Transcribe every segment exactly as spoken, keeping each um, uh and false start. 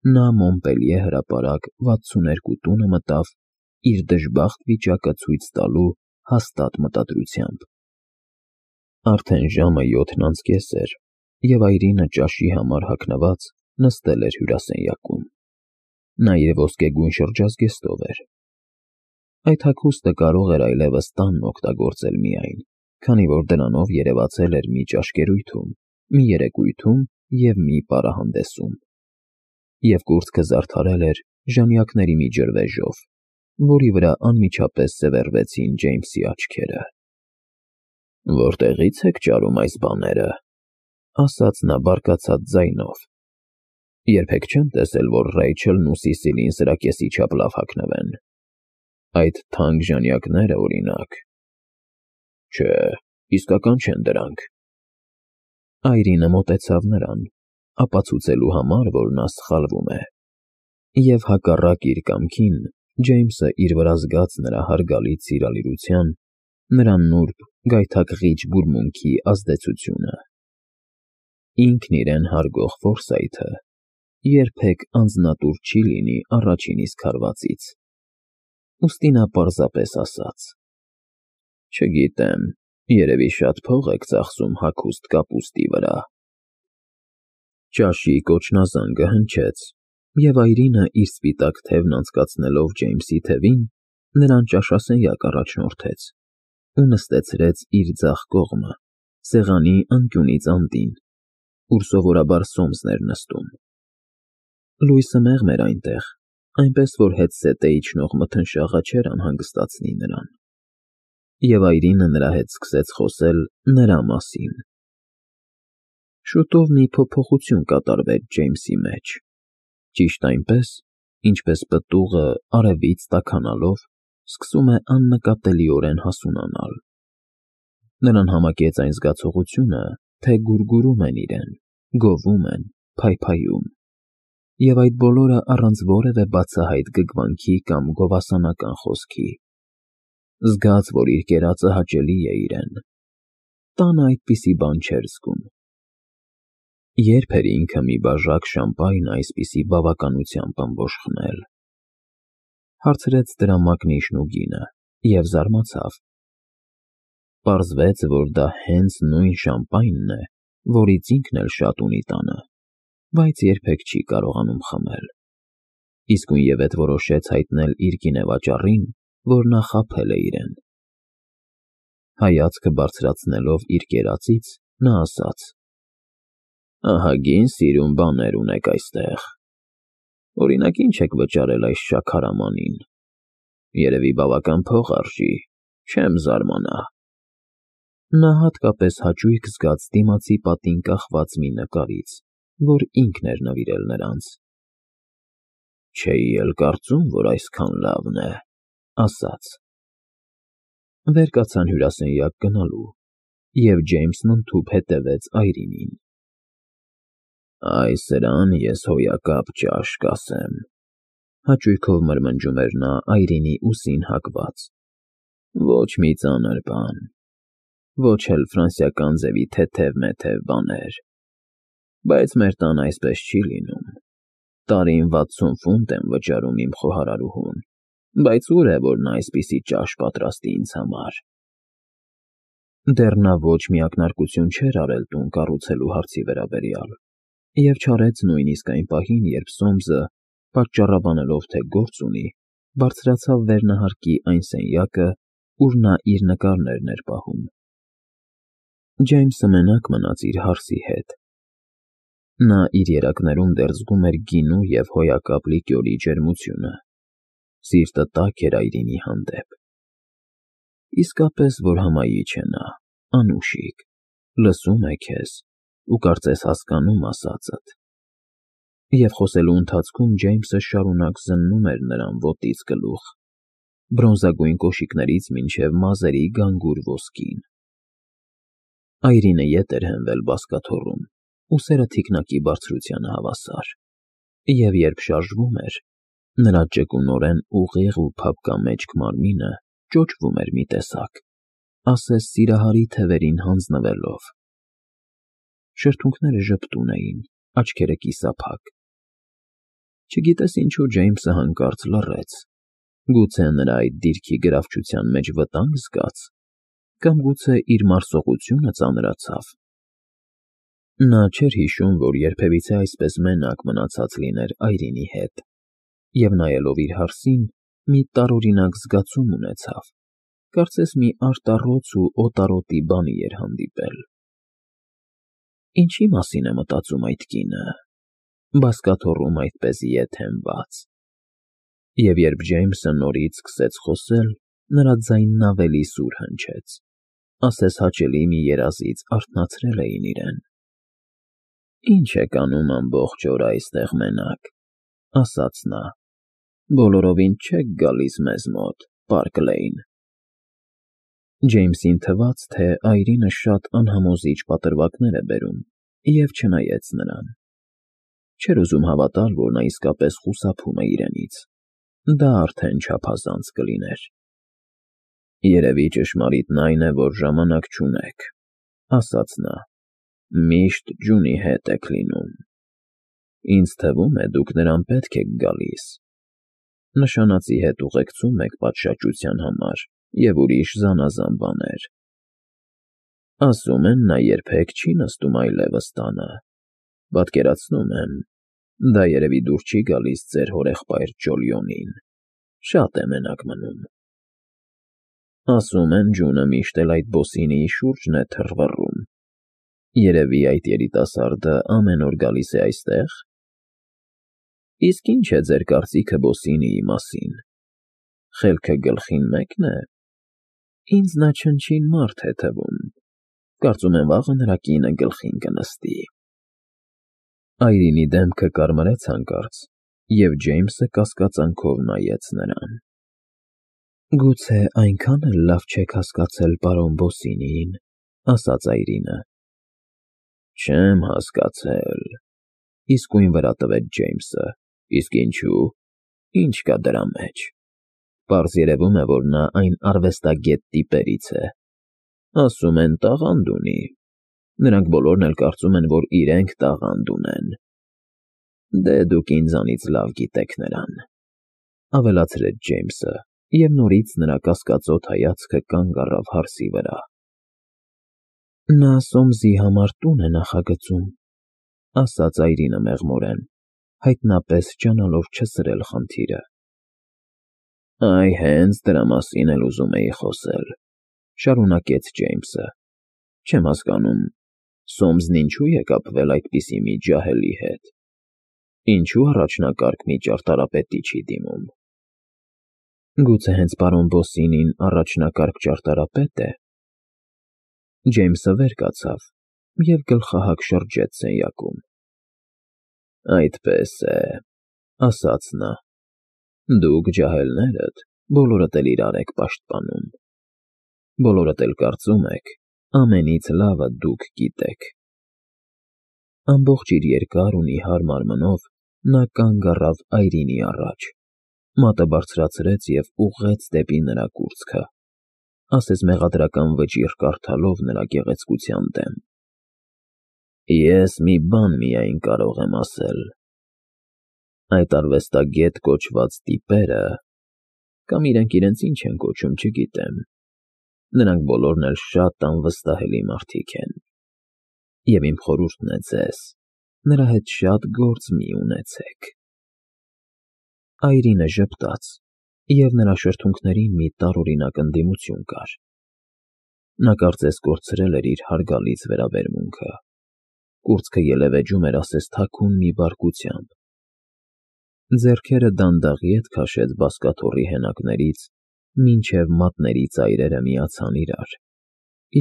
Նա Մոնպելիե հրապարակ վաթսուններկու տունը մտավ իր դժբախտ վիճակը ցույց տալու հաստատ մտադրությամբ։ Արդեն ժամը յոթն անց կես էր, և այրինը ճաշի համար հագնված նստել էր հյուրասենյակում։ Նա իր ոսկեգույն շրջազգեստով էր։ Այդ հագուստը կարող էր այլևս տանն օգտագործել միայն, քանի որ դրանով երևացել էր մի ճաշկերույթում, մի երեկույթում և մի պարահանդեսում։ Եվ կուրծքը զարդարել էր ժանյակների մի ջրվեժով, որի վրա անմիջապես սևեռվեցին Ջեյմսի աչքերը։ «Որտեղի՞ց եք ճարում այս բաները», ասաց նա բարկացած ձայնով։ «Երբեք չեմ տեսել, որ Ռեյչելն ու Սիսիլին սրա կեսի չափ լավ հագնվեն։ Այդ թանկ ժանյակները, օրինակ… Չէ, իսկական չեն դրանք»։ Այրինը մոտեցավ նրան, ապացուցելու համար, որ նա սխալվում է, և հակառակ իր կամքին Ջեյմսը իր վրա զգաց նրա հարգալից սիրալիրության, նրա նուրբ, գայթակղիչ բուրմունքի ազդեցությունը։ Ինքն իրեն հարգող Ֆորսայթը երբեք անձնատուր չի լինի առաջին իսկ հարվածից։ Ուստի նա պարզապես ասաց. «Չգիտեմ, երևի շատ փող եք ծախսում հագուստ կապուստի վրա»։ Ճաշի կոչնազանգը հնչեց, և Այրինը իր սպիտակ թևն անցկացնելով Ջեյմսի թևին, նրան ճաշասենյակ առաջնորդեց ու նստեցրեց իր ձախ կողմը, սեղանի անկյունից անդին, ուր սովորաբար Սոմսն էր նստում։ Լույսը մեղմ էր այնտեղ, այնպես որ հետզհետե իջնող մթնշաղը չէր անհանգստացնի նրան, և Այրինը նրա հետ սկսեց խոսել նրա մասին։ Շուտով մի փոփոխություն կատարվեց Ջեյմսի մեջ, ճիշտ այնպես, ինչպես պտուղը, արևից տաքանալով, սկսում է աննկատելիորեն հասունանալ։ Նրան համակեց այն զգացողությունը, թե գուրգուրում են իրեն, գովում են, փայփայում, և այդ բոլորը առանց որևէ բացահայտ գգվանքի կամ գովասանական խոսքի։ Զգաց, որ իր կերածը հաճելի է իրեն։ Տանը այդպիսի բան չէր զգում։ Ե՞րբ էր ինքը մի բաժակ շամպայն այսպիսի բավականությամբ ըմբոշխնել։ Հարցրեց դրա մակնիշն ու գինը և զարմացավ։ Պարզվեց, որ դա հենց նույն շամպայնն է, որից ինքն էլ շատ ունի տանը, բայց երբեք չի կարողանում խմել։ Իսկույնևեթ որոշեց հայտնել իր գինեվաճառին, որ նա խաբել է իրեն։ Հայացքը բարձրացնելով իր կերածից, նա ասաց. «Ահագին սիրուն բաներ ունեք այստեղ։ Օրինակ, ի՞նչ եք վճարել այս շաքարամանին։ Երևի բավական փող արժի, չեմ զարմանա»։ Նա հատկապես հաճույք զգաց դիմացի պատին կախված մի նկարից, որ ինքն էր նվիրել նրանց։ «Չէի էլ կարծում, որ այսքան լավն է», ասաց։ Վեր կացան հյուրասենյակ գնալու, և Ջեյմսն ընդհուպ հետևեց Այրինին։ «Այ սրան ես հոյակապ ճաշ կասեմ», հաճույքով մրմնջում էր նա Այրինի ուսին հագված։ «Ոչ մի ծանր բան, ոչ էլ ֆրանսիական ձևի թեթև֊մեթև բաներ։ Բայց մեր տանը այսպես չի լինում։ Տարին վաթսուն ֆունտ եմ վճարում իմ խոհարարուհուն, բայց ուր է, որ նա այսպիսի ճաշ պատրաստի ինձ համար»։ Դեռ նա ոչ մի ակնարկություն չէր արել տուն կառուցելու հարցի վերաբերյալ, և չարեց նույնիսկ այն պահին, երբ Սոմսը, պատճառաբանելով, թե գործ ունի, բարձրացավ վերնահարկի այն սենյակը, ուր նա իր նկարներն էր պահում։ Ջեյմսը մենակ մնաց իր հարսի հետ։ Նա իր երակներում դեռ զգում էր գինու և հոյակապ լիկյորի ջերմությունը։ Սիրտը տաք էր Այրինի հանդեպ։ Իսկապես որ հմայիչ է նա, անուշիկ, լսում է քեզ ու կարծես հասկանում ասածդ։ Եվ խոսելու ընթացքում Ջեյմսը շարունակ զննում էր նրան ոտից գլուխ, բրոնզագույն կոշիկներից մինչև մազերի գանգուր ոսկին։ Այրինը ետ էր հենվել բազկաթոռում, ուսերը թիկնակի բարձրությանը հավասար, և երբ շարժվում էր, նրա ճկունորեն ուղիղ ու փափկամեջք մարմինը ճոճվում էր մի տեսակ, ասես սիրահարի թևերին հանձնվելով։ Շրթունքները ժպտուն էին, աչքերը կիսափակ։ Չգիտես ինչու Ջեյմսը հանկարծ լռեց, գուցե նրա այդ դիրքի գրավչության մեջ վտանգ զգաց, կամ գուցե իր մարսողությունը ծանրացավ։ Նա չէր հիշում, որ երբևիցե այսպես մենակ մնացած լիներ Այրինի հետ, և նայելով իր հարսին, մի տարօրինակ զգացում ունեցավ, կարծես մի արտառոց ու օտարոտի բանի էր հանդիպել։ Ինչի մասին է մտածում այդ կինը, բազկաթոռում այդպես ետ հենված։ Եվ երբ Ջեյմսը նորից սկսեց խոսել, նրա ձայնն ավելի սուր հնչեց, ասես հաճելի մի երազից արթնացրել էին իրեն։ «Ի՞նչ եք անում ամբողջ օրը այստեղ մենակ», ֊ ասաց նա։ «Բոլորովին չեք գալիս մեզ մոտ, պարկ Լեյն»։ Ջեյմսին թվաց, թե Այրինը շատ անհամոզիչ պատրվակներ է բերում, և չնայեց նրան։ Չէր ուզում հավատալ, որ նա իսկապես խուսափում է իրենից, դա արդեն չափազանց կլիներ։ «Երևի ճշմարիտն այն է, որ ժամանակ չունեք», ֊ ասաց նա։ «Միշտ Ջունի հետ եք լինում։ Ինձ թվում է, դուք նրան պետք եք գալիս։ Նշանածի հետ ուղեկցում եք պատշաճության համար և ուրիշ զանազան բաներ։ Ասում են, նա երբեք չի նստում այլևս տանը։ Պատկերացնում եմ, դա երևի դուր չի գալիս ձեր հորեղբայր Ջոլիոնին, շատ է մենակ մնում։ Ասում են, Ջունը միշտ էլ այդ բոսինիի շուրջն է թռվռում։ Երևի այդ երիտասարդը ամեն օր գալիս է այստեղ։ Իսկ ի՞նչ է ձեր կարծիքը բոսինիի մասին։ Խելքը գլխին մե՞կն է։ Ինձ նա չնչին մարդ է թվում։ Կարծում եմ, վաղը նրա կինը գլխին կնստի»։ Այրինի դեմքը կարմրեց հանկարծ, և Ջեյմսը կասկածանքով նայեց նրան։ «Գուցե այնքան էլ լավ չեք հասկացել պարոն Բոսինիին», ֊ ասաց Այրինը։ «Չեմ հասկացել», ֊ իսկույն վրա տվեց Ջեյմսը։ «Իսկ ինչու՞։ Ինչ կա դրա մեջ։ Պարզ երևում է, որ նա այն արվեստագետ տիպերից է։ Ասում են, տաղանդ ունի։ Նրանք բոլորն էլ կարծում են, որ իրենք տաղանդ ունեն։ Դե դուք ինձանից լավ գիտեք նրան», ֊ ավելացրեց Ջեյմսը, և նորից նրա կասկածոտ հայացքը կանգ առավ հարսի վրա։ «Նա Սոմսի համար տուն է նախագծում», ֊ ասաց Այրինը մեղմորեն, հայտնապես ջանալով չսրել խնդիրը։ «Այ հենց դրա մասին էլ ուզում էի խոսել», ֊ շարունակեց Ջեյմսը։ «Չեմ հասկանում, Սոմսն ինչու է կապվել այդպիսի մի ջահելի հետ։ Ինչու առաջնակարգ մի ճարտարապետի չի դիմում։ Գուցե հենց պարոն Բոսինին առաջնակարգ ճարտարապետ է»։ Ջեյմսը վեր կացավ և գլխահակ շրջեց սենյակում։ «Այդպես է», ֊ ասաց նա։ «Դուք ջահելներդ բոլորդ էլ իրար եք պաշտպանում։ Բոլորդ էլ կարծում եք, ամենից լավը դուք գիտեք»։ Ամբողջ իր երկար ու նիհար մարմնով նա կանգ առավ Այրինի առաջ, մատը բարձրացրեց և ուղղեց դեպի նրա կուրծքը, ասես մեղադրական վճիռ կարդալով նրա գեղեցկության դեմ։ «Ես մի բան միայն կարող եմ ասել. այդ արվեստագետ կոչված տիպերը, կամ իրենք իրենց ինչ են կոչում, չգիտեմ, նրանք բոլորն էլ շատ անվստահելի մարդիկ են, և իմ խորհուրդն է ձեզ, նրա հետ շատ գործ մի ունեցեք»։ Այրինը ժպտաց, և նրա շրթունքներին մի տարօրինակ ընդդիմություն կար։ Նա կարծես կորցրել էր իր հարգալից վերաբերմունքը։ Կուրծքը ելևէջում էր ասես թաքուն մի բարկությամբ։ Ձեռքերը դանդաղ ետ քաշեց բազկաթոռի հենակներից, մինչև մատների ծայրերը միացան իրար,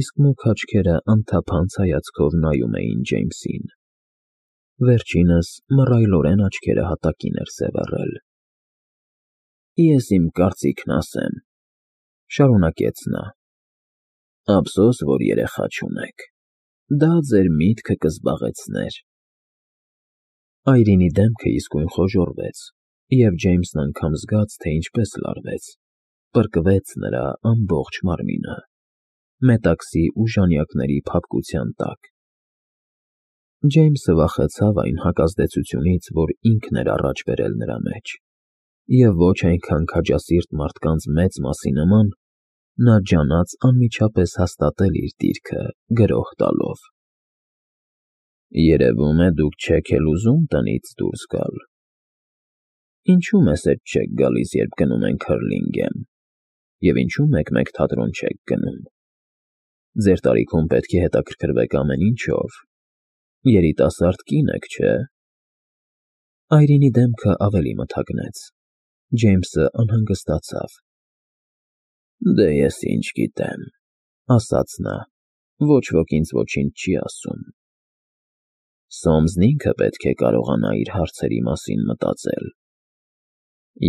իսկ մուգ աչքերը անթափանց հայացքով նայում էին Ջեյմսին։ Վերջինս մռայլորեն աչքերը հատակին էր սևեռել։ «Ես իմ կարծիքն ասեմ», ֊ շարունակեց նա։ «Ափսոս, որ երեխա չունեք։ Դա ձեր միտքը կզբաղեցներ»։ Այրինի դեմքը իսկույն խոժոռվեց, և Ջեյմսն անգամ զգաց, թե ինչպես լարվեց, պրկվեց նրա ամբողջ մարմինը, մետաքսի ու ժանյակների փափկության տակ։ Ջեյմսը վախեցավ այն հակազդեցությունից, որ ինքն էր առաջ բերել նրա մեջ, և ոչ այնքան քաջասիրտ մարդկանց մեծ մասի նման, նա ջանաց անմիջապես հաստատել իր դիրքը գրոհ տալով։ Երևում է, դուք չեք էլ ուզում տնից դուրս գալ։ Ինչու մեզ հետ չեք գալիս, երբ գնում ենք Հըրլինգեմ, և ինչու մեկ֊մեկ թատրոն չեք գնում։ Ձեր տարիքում պետք է հետաքրքրվեք ամեն ինչով, երիտասարդ կին եք, չէ՞։ Այրինի դեմքը ավելի մթագնեց, Ջեյմսը անհանգստացավ։ Դե ես ինչ գիտեմ, ասաց նա, ոչ ոք ինձ ոչինչ չի ասում։ Սոմսն ինքը պետք է կարողանա իր հարցերի մասին մտածել։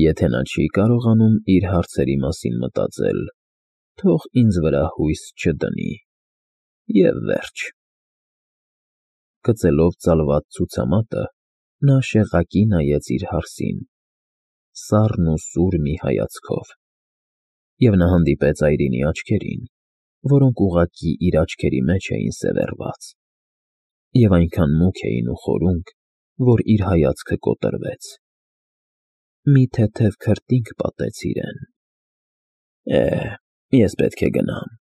Եթե նա չի կարողանում իր հարցերի մասին մտածել, թող ինձ վրա հույս չդնի, և վերջ։ Գծելով ծալված ցուցամատը, նա շեղակի նայեց իր հարսին, սառն ու սուր մի հայացքով, և նա հանդիպեց Այրինի աչքերին, որոնք ուղղակի իր աչքերի մեջ էին սևեռված, և այնքան մուգ էին ու խորունկ, որ իր հայացքը կոտրվեց։ Մի թեթև քրտինք պատեց իրեն։ Է, ես պետք է գնամ,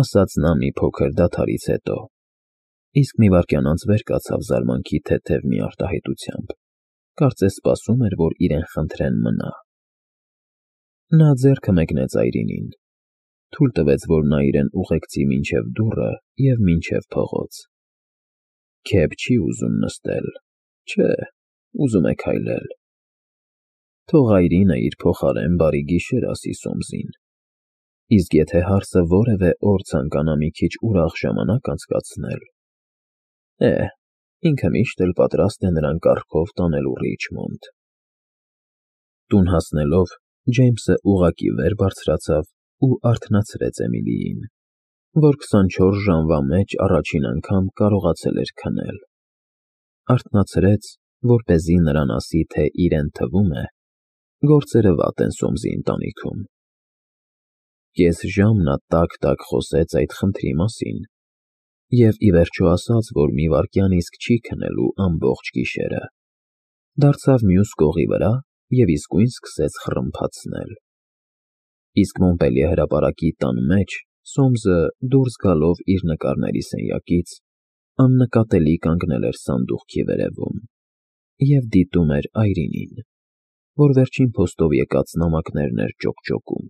ասաց նա մի փոքր դադարից հետո, իսկ մի վայրկյան անց վեր կացավ զարմանքի թեթև մի արտահայտությամբ, կարծես սպասում էր, որ իրեն խնդրեն մնա։ Նա ձեռքը մեկնեց Այրինին, թույլ տվեց, որ նա իրեն ուղեկցի մինչև դուռը և մինչև փողոց։ Քեֆ չի ուզում նստել, չէ, ուզում է քայլել։ Թող Այրինը իր փոխարեն բարի գիշեր ասի Սոմսին, իսկ եթե հարսը որևէ օր ցանկանա մի քիչ ուրախ ժամանակ անցկացնել, է, ինքը միշտ էլ պատրաստ է նրան կառքով տանելու Ռիչմոնդ։ Տուն հասնելով, Ջեյմսը ուղղակի վեր բարձրացավ ու արթնացրեց Էմիլիին, որ քսանչորս ժամվա մեջ առաջին անգամ կարողացել էր քնել։ Արթնացրեց, որպեսզի նրան ասի, թե իրեն թվում է, գործերը վատ են Սոմսի ընտանիքում։ Կես ժամ նա տաք֊տաք խոսեց այդ խնդրի մասին և ի վերջո ասաց, որ մի վայրկյան իսկ չի քնելու ամբողջ գիշերը, դարձավ մյուս կողի վրա և իսկույն սկսեց խռմփացնել։ Իսկ Մոնպելիե հրապարակի տան մեջ Սոմսը, դուրս գալով իր նկարների սենյակից, աննկատելի կանգնել էր սանդուղքի վերևում և դիտում էր Այրինին, որ վերջին փոստով եկած նամակներն էր ճոկճոկում։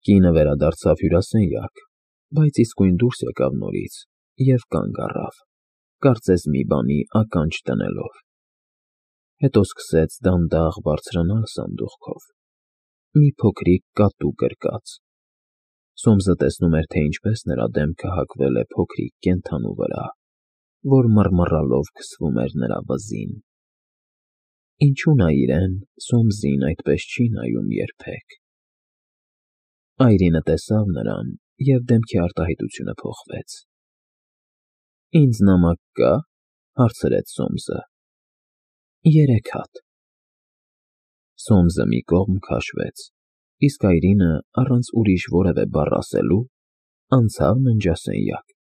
Կինը վերադարձավ հյուրասենյակ, բայց իսկույն դուրս եկավ նորից և կանգ առավ, կարծես մի բանի ականջ դնելով։ Հետո սկսեց դանդաղ բարձրանալ սանդուղքով, մի փոքրիկ կատու գրկած։ Սոմսը տեսնում էր, թե ինչպես նրա դեմքը հակվել է փոքրիկ կենդանու վրա, որ մռմռալով քսվում էր նրա վզին։ Ինչու նա իրեն, Սոմսին, այդպես չի նայում երբեք։ Այրինը տեսավ նրան, և դեմքի արտահայտությունը փոխվեց։ Ինձ նամակ կա՞, հարցրեց Սոմսը։ Երեք հատ։ Սոմսը մի կողմ քաշվեց, իսկ Այրինը, առանց ուրիշ որևէ բառ ասելու, անցավ ննջասենյակ։